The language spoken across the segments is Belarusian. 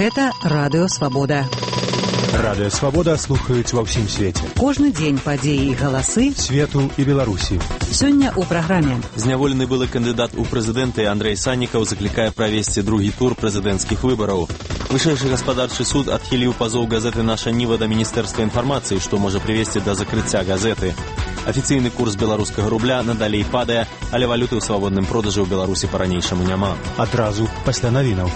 Гэта Радыё Свабода. Радыё Свабода слухаюць ва ўсім свеце. Кожны дзень падзеі і галасы свету і Беларусі. Сёння ў праграме. Зняволены былы кандыдат у прэзідэнты Андрэй Саннікаў заклікае правесці другі тур прэзідэнцкіх выбараў. Вышэйшы гаспадарчы суд адхіліў пазоў газеты «Наша Ніва» да Міністэрства інфармацыі, што можа прывесці да закрыцця газеты. Афіцыйны курс беларускага рубля надалей падае, але валюты ў свабодным продажы ў Беларусі па-ранейшаму няма. Адразу пасля навінаў.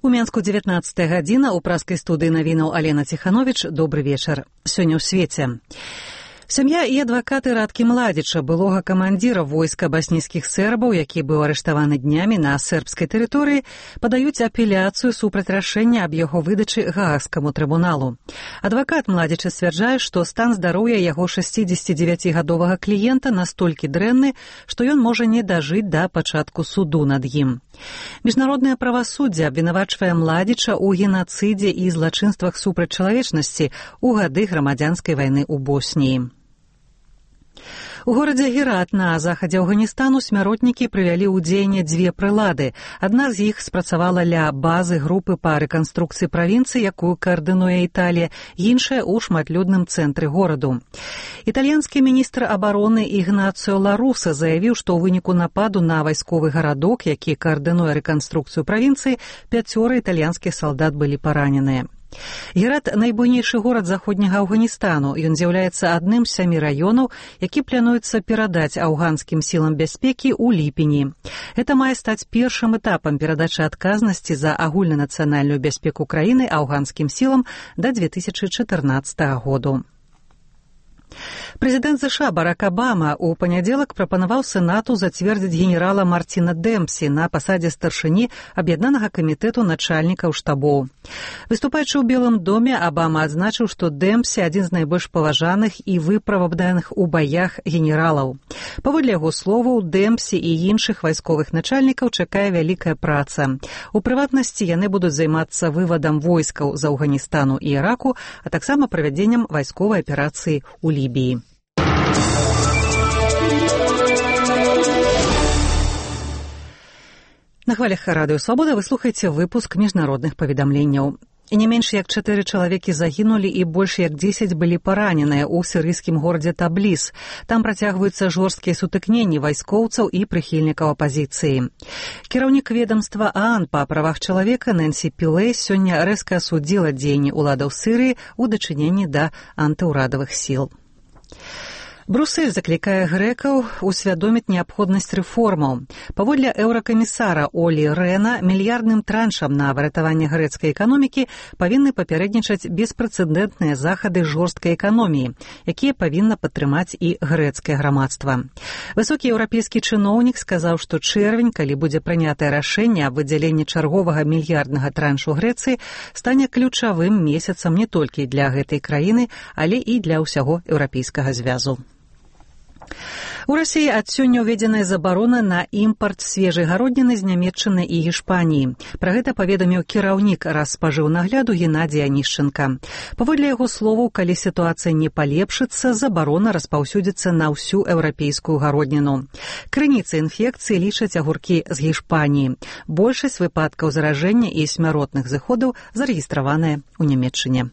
У Менску 19 гадзіна, у праскай студыі навінаў Алена Ціхановіч. Добры вечар. Сёння ў свеце. Сям'я і адвакаты Радкі Младзіча, былога камандзіра войска баснійскіх сербаў, які быў арыштаваны днямі на сербскай тэрыторыі, падаюць апеляцыю супраць рашэння аб яго выдачы Гаагскаму трыбуналу. Адвакат Младзіча сцвярджае, што стан здароўя яго 69-гадовага кліента настолькі дрэнны, што ён можа не дажыць да пачатку суду над ім. Міжнароднае правасуддзе абвінавачвае Младзіча ў генацыдзе і злачынствах супраць чалавечнасці ў гады грамадзянскай вайны ў Боснії. У горадзе Герат на захадзе Афганістану смяротнікі прывялі ў дзеянне дзве прылады. Адна з іх спрацавала ля базы групы па рэканструкцыі правінцыі, якую каардынуе Італія, іншая ў шматлюдным цэнтры гораду. Італьянскі міністр абароны Ігнацыо Ла Руса заявіў, што ў выніку нападу на вайсковы гарадок, які каардынуе рэканструкцыю правінцыі, 5 італьянскіх салдат былі параненыя. Герат – найбуйнейшы горад заходняга Афганістану. Ён з'яўляецца адным з 7 раёнаў, які плануецца перадаць афганскім сілам бяспекі ў ліпені. Гэта мае стаць першым этапам перадачы адказнасці за агульнанацыянальную бяспеку краіны афганскім сілам да 2014 году. Прэзідэнт США Барак Абама ў панядзелак прапанаваў Сенату зацвердзіць генерала Мартина Дэмпсі на пасадзе старшыні аб'яднанага камітэту начальнікаў штабоў. Выступаючы ў Белым доме, Абама адзначыў, што Дэмпсі адзін з найбольш паважаных і выправаданых у баях генералаў. Паводле яго словаў, Дэмпсі і іншых вайсковых начальнікаў чакае вялікая праца. У прыватнасці яны будуць займацца вывадам войскаў з Афганістану і Іраку, а таксама правядзеннем вайсковай аперацыі ў Лібіі. На хвалях Радыё Свабода вы слухаеце выпуск міжнародных паведамленняў. Не менш як 4 чалавекі загінулі і больш як 10 былі параненыя ў сірыйскім горадзе Табліс. Там працягваюцца жорсткія сутыкненні вайскоўцаў і прыхільнікаў апазіцыі. Кіраўнік ведамства ААН па правах чалавека Нэнсі Пілэй сёння рэзка асудзіла дзеянні ўладаў Сірыі ў дачыненні да антыўрадавых сіл. Брюссель заклікае грэкаў усвядоміць неабходнасць рэформаў. Паводле еўракамісара Олі Рэна, мільярдным траншам на выратаванне грэцкай эканомікі павінны папярэднічаць беспрэцэдэнтныя захады жорсткай эканоміі, якія павінна падтрымаць і грэцкае грамадства. Высокі еўрапейскі чыноўнік сказаў, што чэрвень, калі будзе прынятае рашэнне аб выдзяленні чарговага мільярднага траншу Грэцыі, стане ключавым месяцам не толькі для гэтай краіны, але і для ўсяго еўрапейскага звязу. У Расіі ад сёння ўведзеная забарона на імпарт свежай гародніны з Нямецчыны і Гішпаніі. Пра гэта паведаміў кіраўнік Распажыўнагляду Геннадзій Анішченка. Паводле яго словаў, калі сітуацыя не палепшыцца, забарона распаўсюдзіцца на ўсю еўрапейскую гародніну. Крыніцай інфекцыі лічаць агуркі з Гішпаніі. Большасць выпадкаў заражэння і смяротных зыходаў зарэгістраваныя ў Нямецчыне.